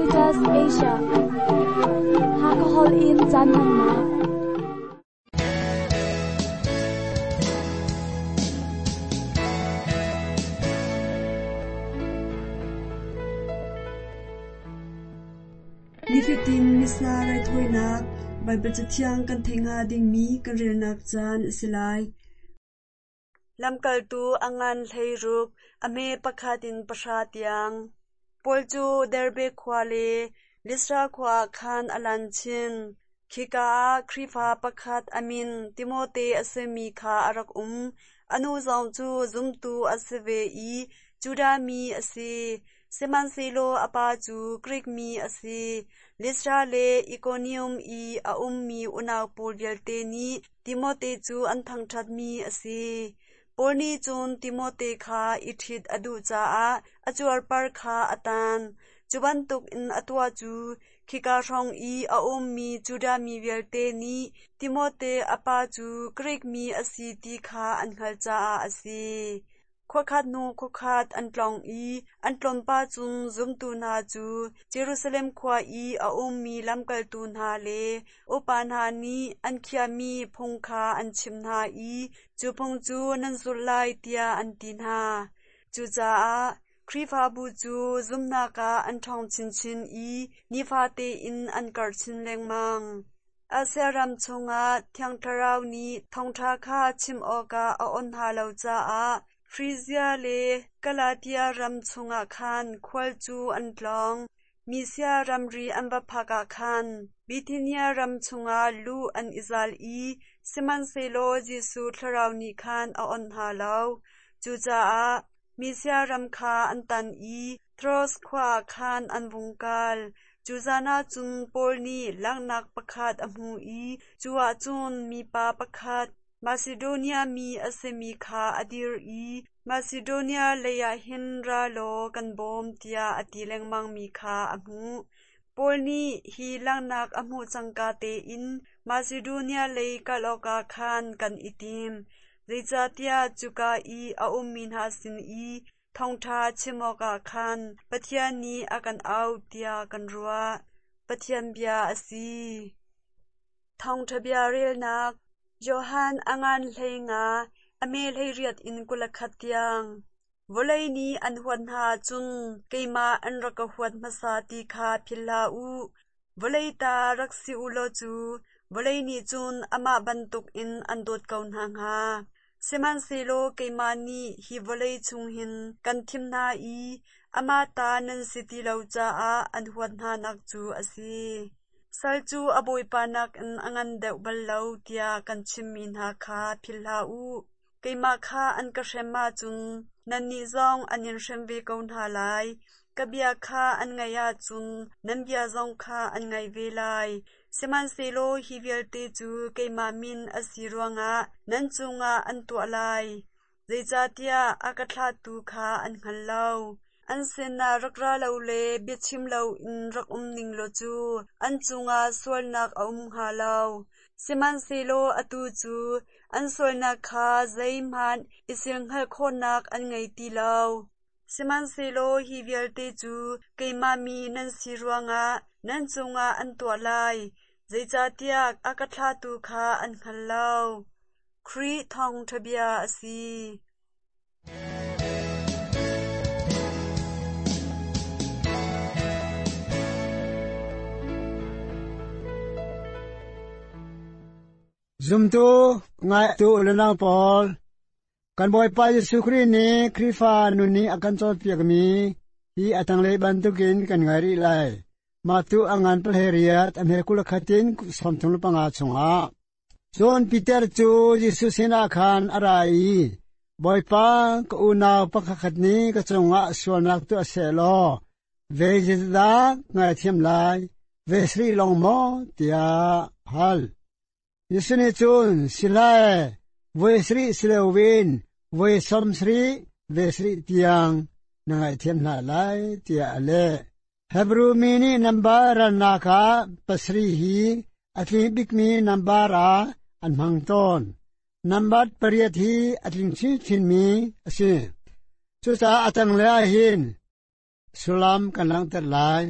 Adventist Asia. Hakha Hall in caan hmannak. Nifatin Missa raithawinak Baibal Cathiang kan theih hnga dingmi kan relnak caan a si lai. Lamkaltu a ngan 16, a hme pakhat in pahra tiang. Paul cu Derbe khua le Listra khua ah khan a lan chin. Khika ah Khrihfa pakhat a min Timote a simi kha a rak um. A nu zong cu zumtu a si ve i Judah mi a si. Sihmanhsehlaw a pa cu Grik mi a si. Listra le Ikonium i a ummi unau pawl vialte nih Timote cu an thangṭhatmi a si. Paul nih cun Timote kha i ṭhit a duh caah a cuarpar kha a tan. Cu bantukin a tuah cu khika hrawng i a ummi Judah mi vialte nih Timote a pa cu Grik mi a si ti kha an hngalh caah a si. Khuakhat hnu khuakhat an tlawng i an tlawnpah cun zumtu hna cu Jerusalem khua i a ummi lamkaltu hna le upa hna nih an khiahmi phung kha an chimh hna i cu phung cu nan zulh lai tiah an ti hna. Cucaah Khrihfabu cu zumhnak ah an ṭhawng chinchin i nifate in an karh chin lengmang. Asia ram chungah Thiang Thlarau nih thawngṭha kha chim awkah a awnh hna lo caah Frizia le Galatia ram chungah khan khual cu an tlawng. Misia ramri an va phak ah khan Bithinia ram chungah luh an i zal i sihmanhsehlaw Jesuh Thlarau nih khan a awnh hna lo. Cucaah Misia ram kha an tan i Troas khua ah khan an vung kal. Cu zan ah cun Paul nih langhnak pakhat a hmuh i cu ah cun mipa pakhat Masidonia mi a simi kha a dir i Masidonia leiah hin ra law kan bawm tiah a ti lengmangmi kha a hmuh. Paul nih hi langhnak a hmuh cangka tein Masidonia lei kal awkah khan kan i tim, zeicahtiah cuka i a ummi hna sin i Thawngṭha chim awkah khan Pathian nih a kan auh tiah kan ruah. Pathian bia a si. Thawngṭha bia relnak Johan a ngan 15, a me 18 in 21 tiang. Vawlei nih an huat hna ahcun keimah an rak ka huat hmasa ti kha philh hlah u. Vawlei ta rak si u law cu vawlei nih cun amah bantukin an dawt ko hna hnga. Sihmanhsehlaw keimah nih hi vawlei chung hin kan thim hna i amah ta nan si ti lo caah an huat hnanak cu a si. Sal cu a bawipa nakin a ngan deuh bal lo tiah kan chimmi hna kha philh hlah u. Keimah kha an ka hrem ahcun nannih zong an in hrem ve ko hna lai. Ka bia kha an ngaih ahcun nan bia zong kha an ngaih ve lai. Sihmanhsehlaw hi vialte cu keimah min a si ruangah nan cungah an tuah lai. Zeicahtiah a ka thlahtu kha an hngal lo. An sinah rak ra lo le biachim loin rak um ning law cu an cungah sualnak a um hnga lo. Sihmanhsehlaw atu cu an sualnak kha zeihmanh i silhngalh khawhnak an ngei ti lo. Sihmanhsehlaw hi vialte cu keimah mi nan si ruangah nan cungah an tuah lai, zeicahtiah a ka thlahtu kha an hngal lo. Khrih thawngṭha bia a si. Zumtu ngaitu le nau pawl kan Bawipa Jesuh Khrih nih Khrihfa nun nih a kan cawnpiakmi hi a tanglei bantukin kan ngai rih lai. Mah tu a ngan palheriat a hme kul khatin 35 chungah Cun Peter cu Jesuh sinah khan a ra i, Bawipa, ka unau pakhatkhat nih ka cungah sualnak tuah seh law, ve zeidah ngaithiam lai, ve sarih lawng maw? tiah a hal. Jesuh nih cun, Si lai, voi sarih si loin voi sawm sarih ve sarih tiang na ngaihthiam hna lai, tiah a leh. Hebru mi nih nambar ralnak ah pasarih hi a tling bikmi nambar ah an hmang tawn. Nambar pariat hi a tling chinchinmi a si. Cucaah a tanglei ah hin sullam kan langhter lai.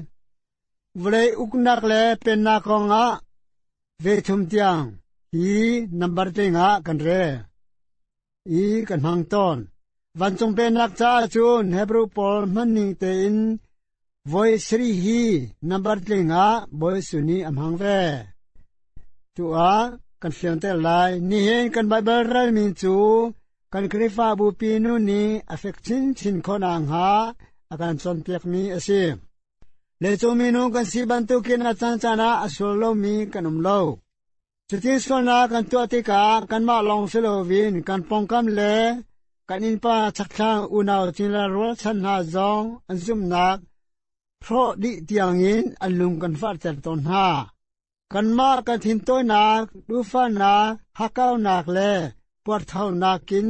Vawlei uknak le pennak kongah ve thum tiang hi nambar tling ah kan rel i kan hmang tawn. Vancung pennak caah cun Hebrew pawl hmanning tein voi sarih hi nambar tling ah Bawi Jesuh nih a hmang ve. Tu ah kan fianter lai. Nihin kan Baibal relmi cu kan Khrihfabu pi nu nih a fek chinchin khawh nakhnga a kan cawnpiakmi a si. Leicung minung kan si bantukin a caancaan ah a sual lomi kan um lo. Cutin sualnak kan tuah tikah kanmah lawng si loin kan pawngkam le kan innpa chakthlang unau cingla rualchan hna zong an zumhnak hrawh dih tiangin an lung kan fahter tawn hna. Kanmah kan thintawinak, duhfahnak, hakkaunak le puarthaunak in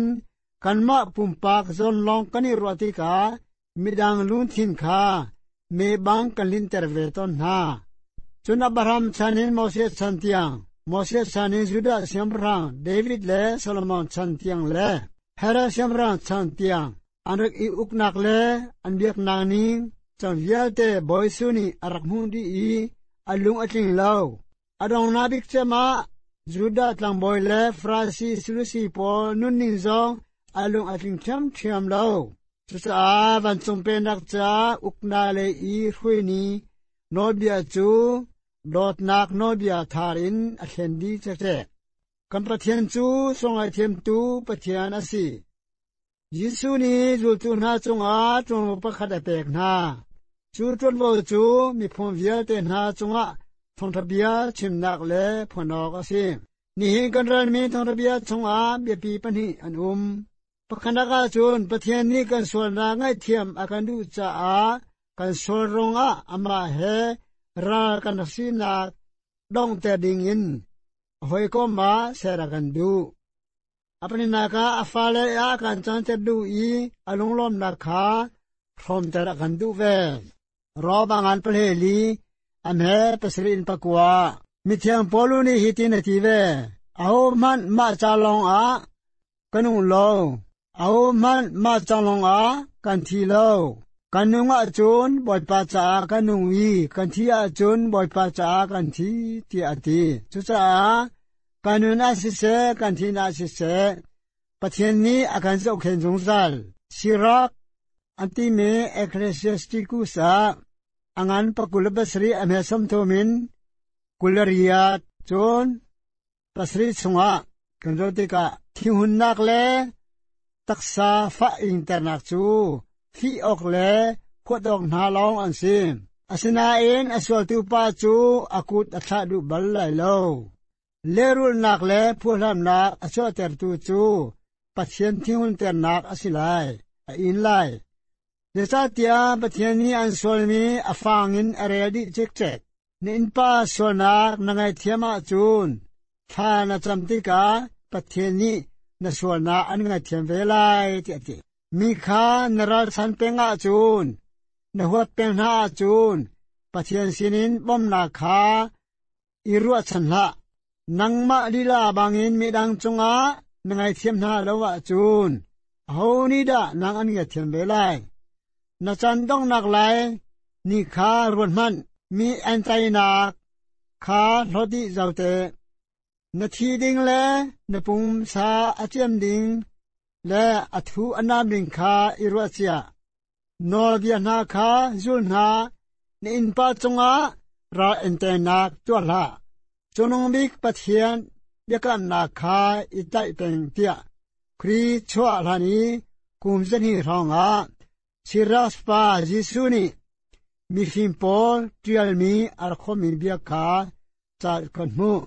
kanmah pumpak zawn lawng kan i ruah tikah midang lungthin kha me bang kan linter ve tawn hna. Cun Abraham chan in Moses chan tiang, Moses chan in Judah siangpahrang David le Solomon chan tiang le Herod siangpahrang chan tiang an rak i uknak le an biaknak ning cang vialte Bawi Jesuh nih a rak hmuh dih i a lung a tling lo. A donghnak bik cem ah Judah tlangbawi le Farasi Sadusi pawl nunning zong a lung a tling ṭhiamṭhiam lo. Cucaah vancung pennak ca uknak lei i hruaini nawlbia cu dawtnak nawlbia thar in a thlen dih cekcek. Kan Pathian cu sunglaithiamtu Pathian a si. Jesuh nih zultu hna cungah ṭuanvo pakhat a pek hna. Cu ṭuanvo cu miphun vialte hna cungah thawngṭha bia chimnak le phuan awk a si. Nihin kan relmi thawngṭha bia chungah biapi pahnih an um. Pakhatnak ahcun Pathian nih kan sualnak ngaihthiam a kan duh caah kan sual ruangah amah he ral kan rak sinak donghter dingin hawikom ah ser a kan duh. A pahnihnak ah a fale ah a kan canter duh i a lunglawmnak kha hrawmter a kan duh ve. Rom a ngan pahleli, a hme pasarih in pakua. Mithiang Paul nih hitin a ti ve, Ahohmanh mah ca lawngah ka nung lo, ahohmanh mah ca lawngah kan thi lo. Kan nung ahcun Bawipa caah kan nung i kan thi ahcun Bawipa caah kan thi, tiah a ti. Cucaah kan nun ah siseh, kan thih ah siseh, Pathian nih a kan zohkhenh zungzal. Sirak an timi Ecclesiasticus ah a ngan pakul le pasarih a hme sawmthum in 28 cun pasarih chungah kan zoh tikah thinhunnak le taksa fah ingternak cu fih awk le huat awk hna lawng an si. Asinain a sualtu pa cu a kut a thlah duh bal lai lo. Lehrulhnak le phuhlamnak a chuahtertu cu Pathian thinhunternak a si lai, a in lai. Zeicahtiah Pathian nih an sualmi a fang in a rel dih cikcek. Na innpa sualnak na ngaihthiam ahcun thla na cam tikah Pathian nih na sualnak an ngaihthiam ve lai tiah a ti. Mi kha na ralchan peng ahcun, na huat peng hna ahcun Pathian sinin bawmhnak kha i ruahchan hlah. Nangmah lila bangin midang cungah na ngaithiam hna lo ahcun aho nih dah nang an ngaithiam ve lai? Na caan donghnak lai ni kha ruat hmanh. Mi an teinak kha hlawt dih zau te. Na thi ding le na pumsa a ciam ding le a thu a nam ding kha i ruah cia. Nawlbia hna kha zul hna, na innpa cungah ral enternak tuah hlah. Cungnung bik Pathian biakamnak kha i tlaih peng tiah Khrih chuah hlan i kum zahnih hrawngah Siras pa Jesuh nih mifim pawl ṭialmi a rak khawmmi bia kha ca kan hmuh.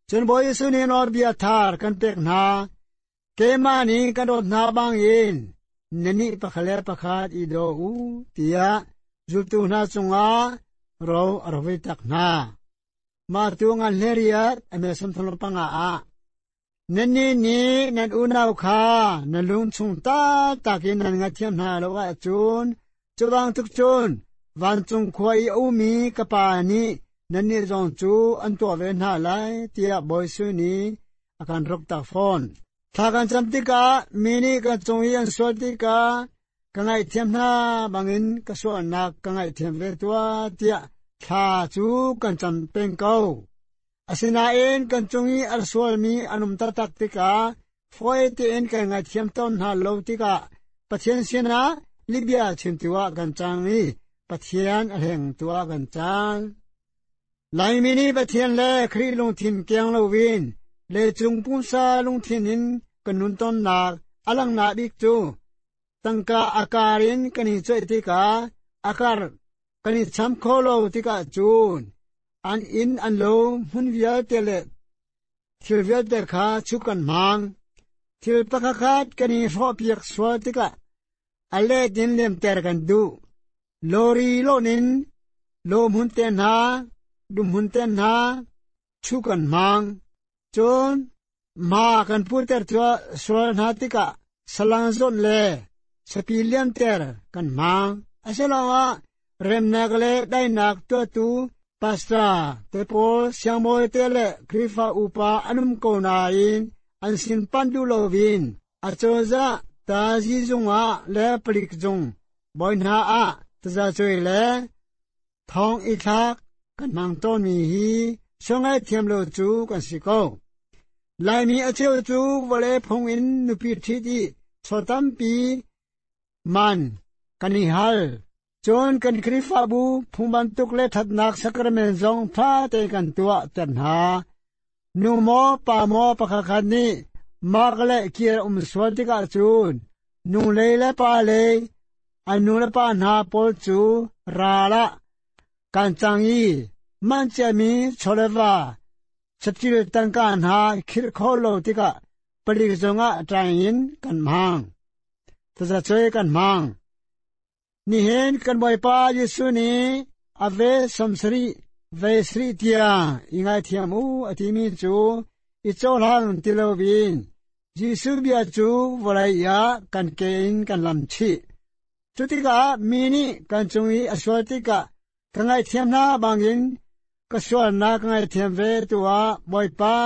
Cun Bawi Jesuh nih nawlbia thar kan pek hna. Keimah nih ka dawt hna bangin nannih pakhat le pakhat i daw u tiah zultu hna cungah ro a rak vui tak hna. Mah tu ngan hleriat a me 35 ah Nannih nih nan unau kha nan lung chung taktak in nan ngaihthiam hna lo ahcun cu bantuk cun vancung khua i a ummi ka Pa nih nannih zong cu an tuah ve hna lai tiah Bawi Jesuh nih a kan ruktak fawn. Thla kan cam tikah mi nih kan cung i an sual tikah ka ngaihthiam hna bangin ka sualnak ka ngaihthiam ve tuah tiah Thla cu kan cam peng ko. Asinain kan cung i a sualmi an um taktak tikah fawi tein kan ngaithiam tawn hna lo tikah Pathian sinah lihbia chimtu ah kan cang i Pathian a hlengtu ah kan cang. Laimi nih Pathian le Khrih lungthin keng loin leicung pumsa lungthin in kan nun tawnnak a langhnak bik cu tangka a kar in kan i coih tikah a kar kan i cham kho lo tikah cun an inn an lo hmun vialte le thil vialte kha chu kan hmang. Thil pakhatkhat kan i hrawhpiak sual tikah a let in lemter kan duh. Lawri lawn in lawhmun te hna, dumhmun te hna chu kan hmang. Cun ma kan puter sual hna tikah salang zawt le sapi liamter kan hmang. Asiloah remnak le daihnak tuahtu pastor te pawl siangbawi te le Khrihfa upa an um ko nain an sin panh duh loin acozah tazi zung ah le palik zung bawi hna ah tazacuai le thong i thlak kan hmang tawnmi hi sungei thiam lo cu kan si ko. Laimi a cheu cu vawlei phung in nupi ṭhit i chaw tampi man kan i hal. Cun kan Khrihfabu phung bantuk le ṭhatnak sacrament zong ṭha tein kan tuah ter hna. Nu maw pa maw pakhatkhat nih mak le kir um sual tikah cun nu lei le pa lei an nu le pa hna pawl cu ral ah kan cang i manh ciami chawleva saṭil tangka hna khirh kho lo tikah palik zungah ṭaing in kan hmang. Tazacuai kan hmang. Nihin kan Bawipa Jesuh nih a ve 70 ve sarih tiang i ngaithiam u a timi cu i cohlang ti loin Jesuh bia cu vawlei ah kan ke in kan lam chih. Cutikah mi nih kan cung i a sual tikah ka ngaihthiam hna bangin ka sualnak ka ngaihthiam ve tuah Bawipa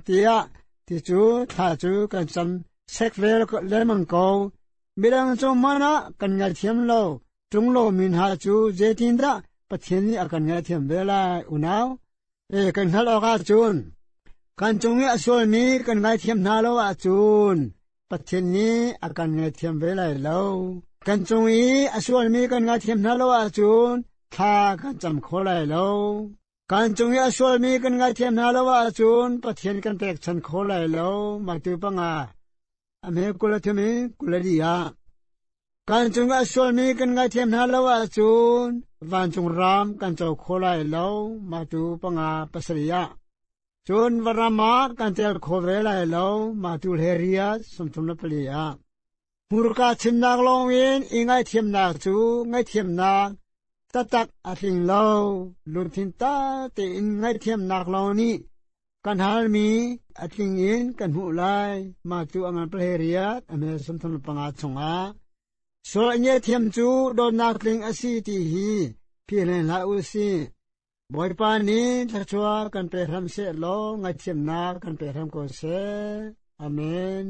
tiah ti cu thla cu kan cam sek ve lengmang ko. Midang cung hmanh ah kan ngaithiam lo ṭung lomi hna cu zeitindah Pathian nih a kan ngaihthiam ve lai unau? E kan hngalh awk ahcun kan cung i a sualmi kan ngaithiam hna lo ahcun Pathian nih a kan ngaithiam ve lai lo. Kan cung i a sualmi kan ngaithiam hna lo ahcun thla kan cam kho lai lo. Kan cung i a sualmi kan ngaithiam hna lo ahcun Pathian kan pekchan kho lai lo. Matu panga a hme kul a thum i kul a li ah kan cung i a sualmi kan ngaithiam hna lo ahcun vancung ram kan co kho lai lo. Matu panga pasarih ah Cun varam ah kan tel kho ve lai lo, mah tu hlei 34 ah. Hmurka chimnak lawngin i ngaihthiamnak cu ngaihthiamnak taktak a tling lo. Lungthin ta tein ngaihthiamnak lawng nih kan halmi a tling in kan hmuh lai. Mah cu a ngan pahleiriat a mel 35 chungah. Sual a ngiathiam cu dawtnak tling a si ti hi philh hlah u sih. Bawipa nih thluachuah kan pe hram seh law ngaihthiamnak kan pe hram ko seh. Amen.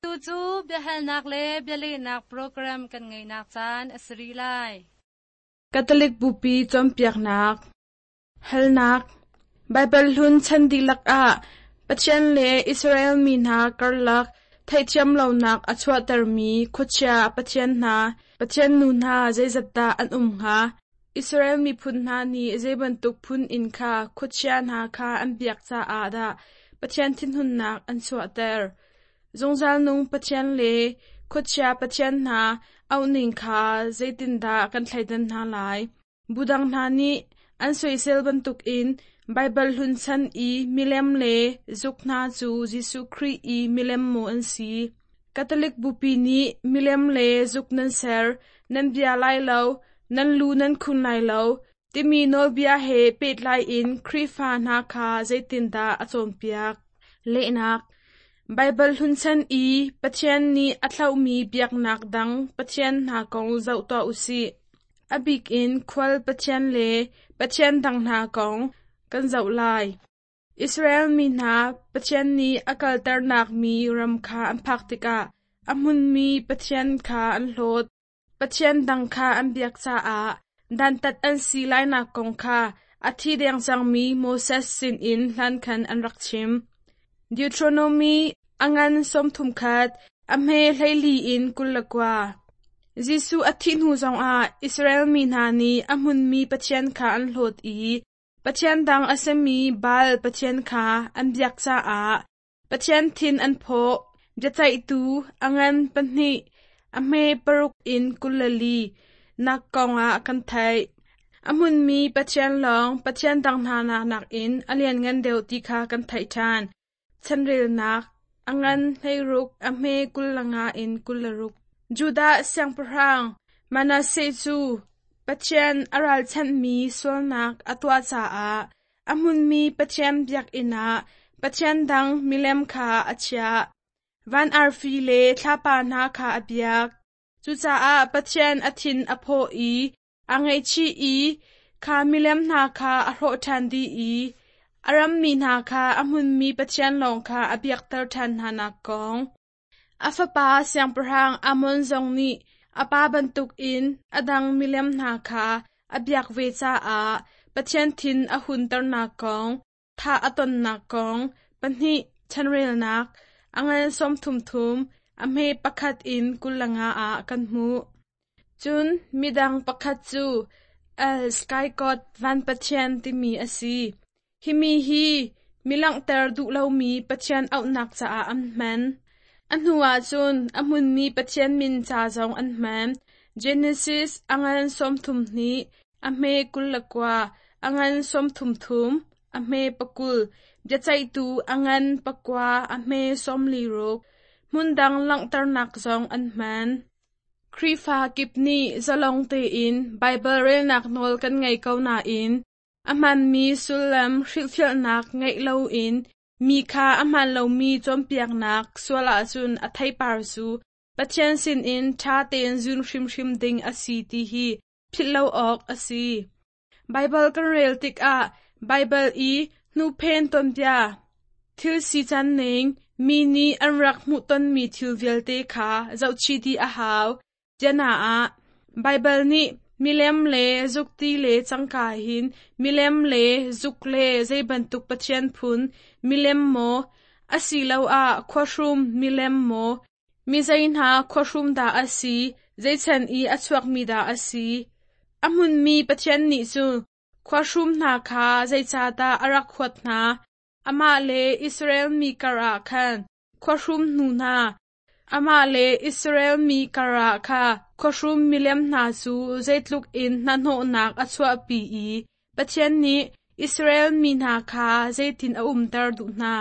Tu cu biahalnak le bialehnak program kan ngeihnak caan a si rih lai. Catholic Bupi cawnpiaknak Halnak Baibal hlun chan dihlak ah Pathian le Israel mi hna karlak theihthiam lonak a chuahtermi khuachia pathian hna, pathian nu hna zeizat dah an um hnga? Israel miphun hna nih zei bantuk phun in kha khuachia hna kha an biak caah dah Pathian thinhunnak an chuahter? Zungzal nung Pathian le khuachia pathian hna auhning kha zeitindah kan thleidan hna lai? Budang hna nih an soisel bantukin Baibal hlun chan i milem le zuk hna cu Jesuh Khrih i milem maw an si? Catholic Bupi nih milem le zuk nan ser, nan bia lai lo, nan lu nan khun lai lo, timi nawlbia he pehtlai in Khrihfa hna kha zeitindah a cawnpiak? Lehnak Baibal hlun chan i Pathian nih a thlauhmi biaknak dang pathian hna kong zoh tuah u sih. A bik in khual pathian le pathian dang hna kong kan zoh lai. Israel mi hna Pathian nih a kalternak mi ram kha an phak tikah a hmunmi Pathian kha an hlawt. Pathian dang kha an biak caah dantat an si lainak kong kha a thi deng cangmi Moses sinin hlankhan an rak chim. Deuteronomy a ngan 31, a hme 14 in 29. Jesuh a thih hnu zongah Israel mi hna nih a hmunmi Pathian kha an hlawt i Pathian dang a simi Baal pathian kha an biak caah Pathian thin an phawh. Biaceihtu a ngan 2, a hme 6 in 24 nak kongah kan theih. A hmunmi Pathian lawng Pathian dang hna nakin a lianngan deuh ti kha kan theih ṭhan. Chanrelnak a ngan 16, a hme 25 in 26. Judah siangpahrang Manasseh cu Pathian a ralchanhmi sualnak a tuah caah a hmunmi Pathian biakinn ah Pathian dang milem kha a chiah. Van arfi le thlapa hna kha a biak. Cucaah Pathian a thin a phawh i a ngaihchih i kha milem hna kha a hrawh ṭhan dih i a rammi hna kha a hmunmi Pathian lawng kha a biakter ṭhan hnanak kong. A fapa siangpahrang Amon zong nih a pa bantukin a dang milem hna kha a biak ve caah Pathian thin a hunternak kong, thah a tonnak kong, 2 chanrelnak, a ngan 33, a hme 1 in 25 ah kan hmuh. Cun midang pakhat cu El Sky God Van Pathian timi a si. Hi mi hi mi langhter duh lomi Pathian auhnak caah an hman. A hnuah cun a hmunmi Pathian min ca zong an hman. Genesis a ngan 32, a hme 29, a ngan 33, a hme 20, biaceihtu a ngan 9, a hme 46. Hmundang langhternak zong an hman. Khrihfa kip nih zalong tein Baibal relnak nawl kan ngei ko nain a hmaanmi sullam hrilhfiahnak ngeih loin mi kha a hmaan lomi cawnpiaknak sual ahcun a theipar cu Pathian sinin ṭha tein zun hrimhrim ding a si ti hi philh lo awk a si. Baibal kan rel tikah Baibal i hnuphen tuanbia, thil sican ning, mi nih an rak hmuhtonmi thil vialte kha zohchih dih a hau. Biana ah, Baibal nih milem le zukti le cangka hin milem le zuk le zei bantuk pathian phun milem maw, asiloah khuahrum milem maw, mi zei hna khuahrum dah a si, zei chan i a chuakmi dah a si. A hmunmi Pathian nih cun khuahrum hna kha zeicahdah a rak huat hna? Amah le Israel mi karah khan khuahrum hnu hna, Amah le Israel mi karah kha khuahrum milem hna cu zeitluk in hnahnawhnak a chuahpi i Pathian nih Israel mi hna kha zeitin a umter duh hna.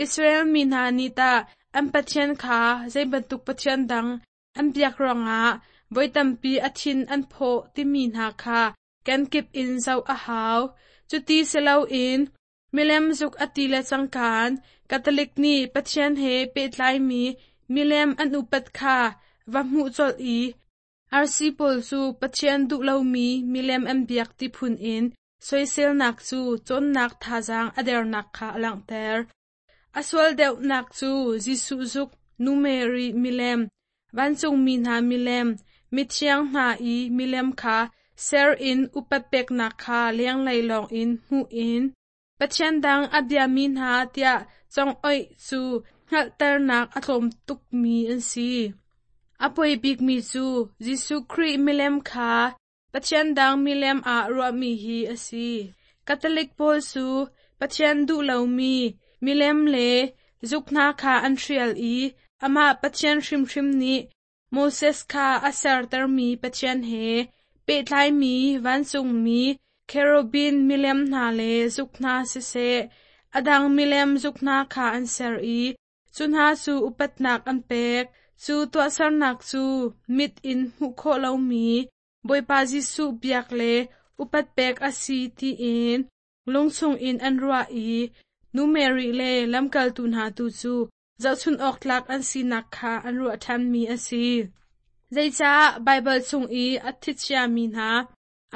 Israel mi hna nih tah an Pathian kha zei bantuk pathian dang an biak ruangah voi tampi a thin an phawh timi hna kha kenkip in zoh a hau. Cuti si loin Milem zuk a ti le cangkaan Catholic nih Pathian he pehtlaimi milem an upat kha va hmuh colh i RC pawl cu Pathian duh lomi milem an biak ti phun in soiselnak cu cawnnak thazaang a dernak kha a langhter. A sual deuhnak cu Jesuh zuk, Nu Mary milem, vancungmi hna milem, mithiang hna i milem kha ser in upat peknak kha lenglei lawngin hmuh in Pathian dang a biami hna tiah congoih cu hngalhternak a tlawm tukmi an si. A poi bikmi cu Jesuh Khrih milem kha Pathian dang milem ah ruahmi hi a si. Catholic pawl cu Pathian duh lomi milem le zuk hna kha an hrial i amah Pathian hrimhrim nih Moses kha a sertermi Pathian he pehtlaimi vancungmi cherubim milem hna le zuk hna siseh, a dang milem zuk hna kha an ser i Cu hna cu upatnak an pek. Cu tuahsernak cu mit in hmuh khawh lomi Bawipa Jesuh biak le upat pek a si tiin lungchung in an ruah i Nu Mary le lamkaltu hna tu cu zohchunh awk tlak an sinak kha an ruah ṭhanmi a si. Zeicah Baibal chung i a thichiami hna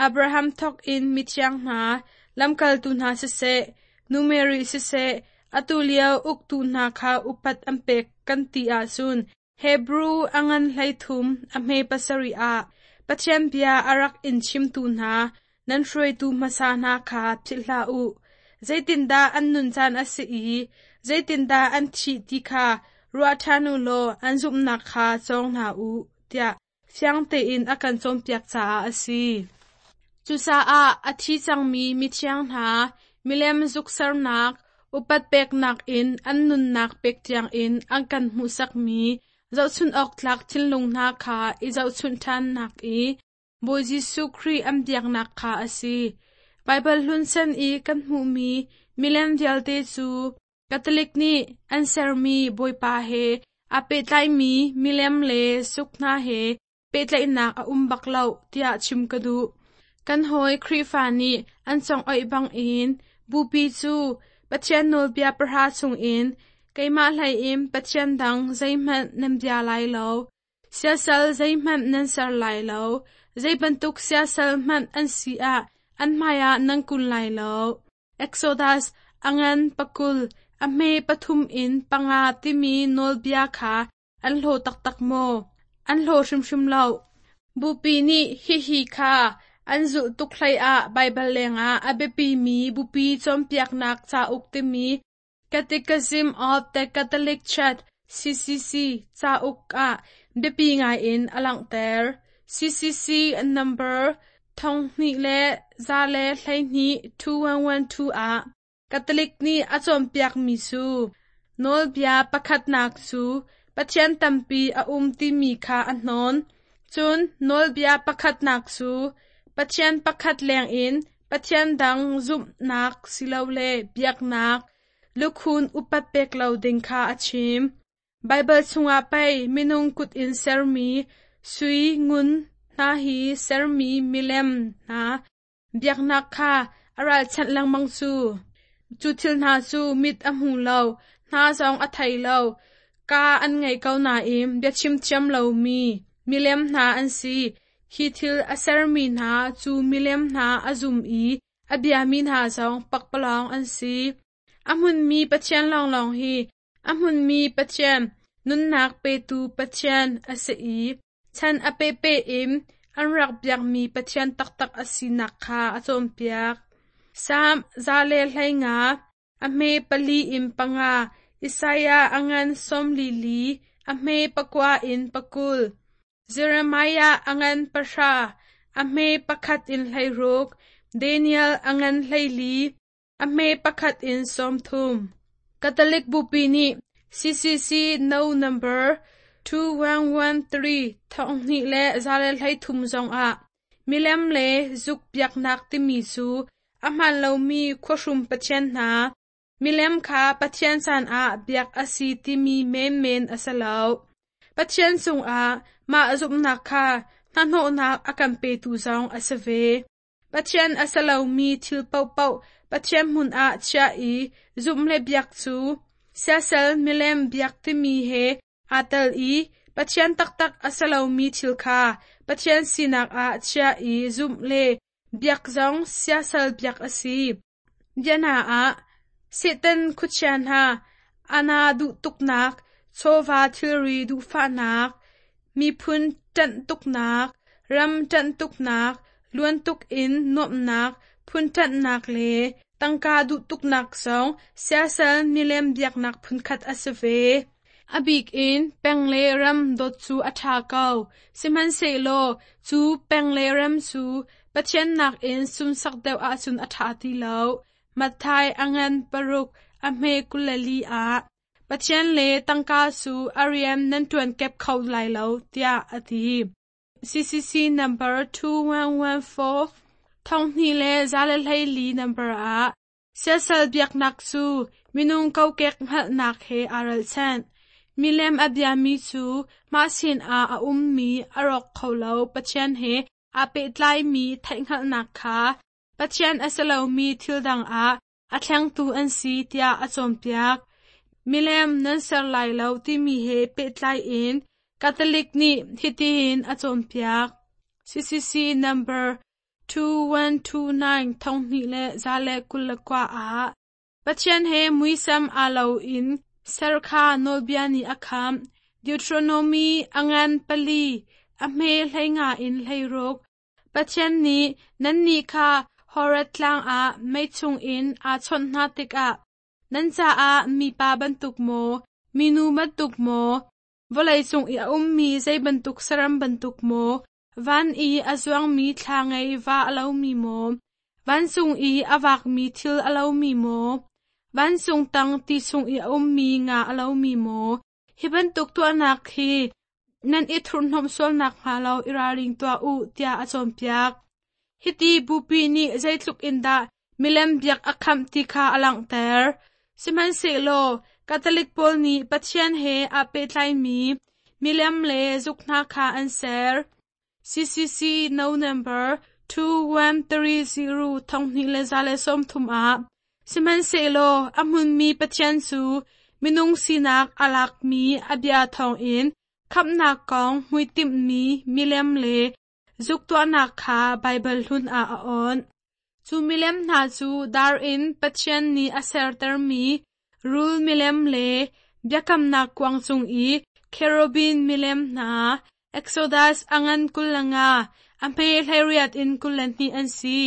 Abraham thawk in mithiang hna, lamkaltu hna siseh, Nu Mary siseh, atu lio uktu hna kha upat an pek kan ti ahcun Hebru a ngan 13 a hme 7 ah Pathian bia a rak in chimtu hna nan hruaitu hmasa hna kha philh hlah u. Zeitindah an nun caan a si i zeitindah an thih ti kha ruah ṭhan u law an zumhnak kha cawng hna u, tiah fiang tein a kan cawnpiak caah a si. Cucaah a thi cangmi mithiang hna milem zuk sernak, upat peknak in an nunnak pek tiangin an kan hmuhsakmi zohchunh awk tlak thinlung hna kha i zohchunh ṭhannak i Bawi Jesuh Khrih an biaknak kha a si. Baibal hlun chan i kan hmuhmi milem vialte cu Catholic nih an sermi Bawipa he aa pehtlaimi milem le suk hna he pehtlaihnak a um bak lo tiah chim ka duh. Kan hawi Khrihfa nih an congoih bangin Bupi cu Pathian nawlbia pahra chungin keimah hlei in Pathian dang zeihmanh nan bia lai lo, siasal zeihmanh nan ser lai lo, zei bantuk siasal hmanh an si ah an hmaiah nan kun lai lo. Exodus a ngan 20, a hme 3 in 5 timi nawlbia kha an hlaw taktak maw? An hlaw hrimhrim lo. Bupi nih hihi kha an zulh tuk hleiah Baibal lengah a biapimi bupi cawnpiaknak cauk timi Catechism of the Catholic Church CCC cauk ah biapi ngaiin a langhter. CCC number 2112 2112 ah Catholic nih a cawnpiakmi cu nawlbia pakhatnak cu Pathian tampi a um timi kha a hnawn. Cun nawlbia pakhatnak cu Pathian pakhat lengin Pathian dang zumhnak silole biaknak lukhun upat pek lo ding kha a chim. Baibal chungah pei minung kut in sermi sui ngun hna hi sermi milem hna biaknak kha a ralchanh lengmang cu. Cu thil hna cu mit a hmu lo, hna zong a thei lo, kaa an ngei ko nain biachim thiam lomi milem hna an si. Hi thil a sermi hna cu milem hna a zum i a biami hna zong pakpalawng an si. A hmunmi Pathian lawnglawng hi a hmunmi Pathian, nunnak petu Pathian a si i chan a pehpeh in an rak biakmi Pathian taktak a sinak kha a cawnpiak. Salm 115, a hme 4 in 5, Isaiah a ngan 44, a hme 9 in 20, Jeremiah a ngan 10, a hme 1 in 16, Daniel a ngan 14, a hme 1 in 30. Catholic Bupi nih CCC No Number 2113 2113 zongah milem le zuk biaknak timi cu a hmaan lomi khuahrum pathian hna milem kha Pathian caan ah biak a si timi menmen a si lo. Pathian cungah mah zumhnak kha hnahnawhnak a kan petu zong a si ve. Pathian a si lomi thil paohpaoh Pathian hmun ah chiah i zumh le biak cu siasal milem biak timi he aa tel i Pathian taktak a si lomi thil kha Pathian sinak ah chiah i zumh le biak zong siasal biak a si. Biana ah, Satan khuachia hna ana duh tuknak, chawva thilri duhfahnak, miphun ṭanh tuknak, ram ṭanh tuknak, luan tuk in nuamhnak, phun ṭanhnak le tangka duh tuknak zong siasal milem biaknak phunkhat a si ve. A bik in peng le ram dawt cu a ṭha ko, sihmanhsehlaw cu peng le ram cu Pathian nakin sunsak deuh ahcun a ṭha ti lo. Matthai a ngan 6 a hme 24 ah Pathian le tangka cu a rian nan ṭuan kep kho lai lo, tiah a ti. CCC number 2114 2114 number ah siasal biaknak cu minung kokek hngalhnak he aa ralchanh. Milem a biami cu mah sinah a ummi a rawk kho lo Pathian he aa pehtlaimi theihhngalhnak kha Pathian a si lomi thil dang ah a thlengtu an si tiah a cawnpiak. Milem nan ser lai lo timi he pehtlai in Catholic nih hitihin a cawnpiak. CCC number 2129 2129 ah. Pathian he muisam aa lo in ser kha nawlbia nih a khamh. Deuteronomy a ngan 4, a hme 15 in 16. Pathian nih nannih kha Horeb tlang ah mei chungin aa chawnh hna tikah nan caah mipa bantuk maw, minu bantuk maw, vawleicung i a ummi zei bantuk saram bantuk maw, van i a zuangmi thla ngei va a lomi maw, vancung i a vakmi thil a lomi maw, vancung tang ti chung i a ummi nga a lomi maw, hi bantuk tuahnak hi nan i thurhhnawmh sual nakhnga lo i ralring tuah u, tiah a cawnpiak. Hiti bupi nih zeitluk in dah milem biak a khamh ti kha a langhter. Sihmanhsehlaw Catholic pawl nih Pathian he aa pehtlaimi milem le zuk hna kha an ser. CCC No. 2130 2130 ah Sihmanhsehlaw a hmunmi Pathian cu minung sinak a lakmi a bia thawngin khamhnak kong hmuitimhmi milem le zuk tuahnak kha Baibal hlun ah a awnh. Cu milem hna cu dar in Pathian nih a sertermi rul milem le biakamnak kuang cung i cherubim milem hna, Exodus a ngan 25, a hme 18 in 22 an si.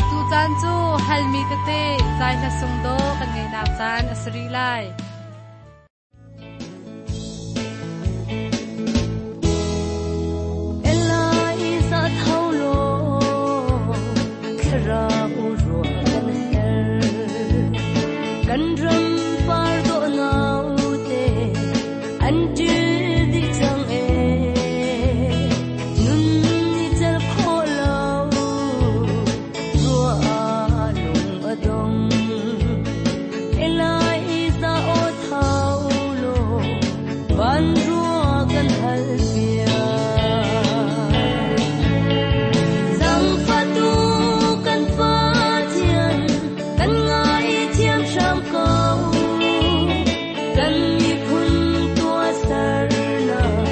Tucaan cu halmi tete zai hla sung dawh kan ngeihnak caan a si rih lai. Eliza tho law thlarau ruah kan her kan ram par dawh naute an ṭil dih cang ee nun ni celh khawh lo ruah ah lung a dong Eliza aw tho law van ruah kan hal piak. Zaangfahtu kan Pathian, kan ngaithiam hram ko. Kan miphun tuahsernak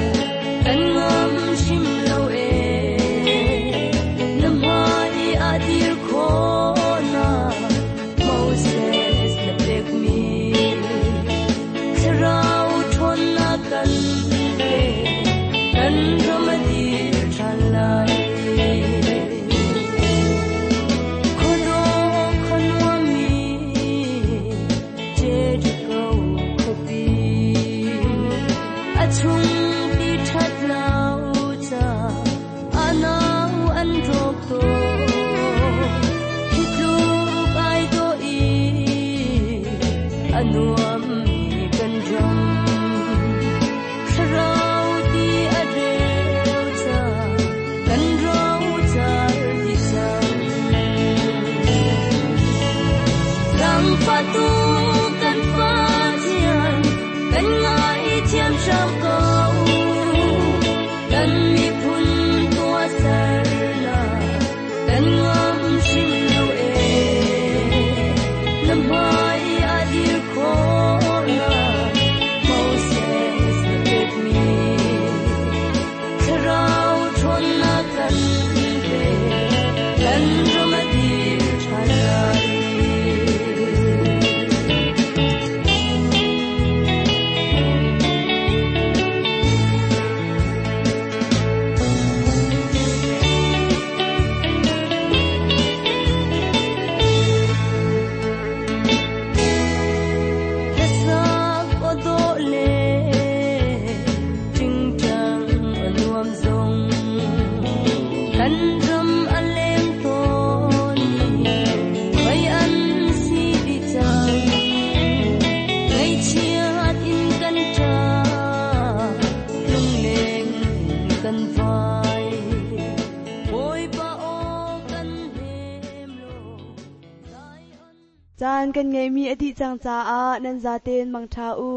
kan ngam hrim lo ee. Na hmai ah dir khawhnak Moses na pekmi thlarau ṭhawnnak kan pe, kan ram a dir ṭhan lai. Khuadawh khuanuammi Jericho khuapi, a chung ti ṭhat lo ca a nau an rawk tawn. Hi tluk ai dawh i a nuammi kan ram. Thlarau ti a reu ca kan rocar dih cang. Zaangfahtu kan Pathian, kan ngaithiam hram ko. Kan miphun tuahsernak kan ngam hrim lo ee. Na hmai ah dir khawhnak Moses na pekmi thlarau ṭhawnnak kan pe, kan ram a dir ṭhan lai. Hlasak aw dawh le ṭingṭang a nuam zong, kan ram a leng tawn i mei an si dih cang. Ngaihchiat in kan ṭah, lungleng in kan vai. Bawipa aw kan hnem law, Zion Caan kan ngeimi a dih cang caah nan zaten mangṭha u.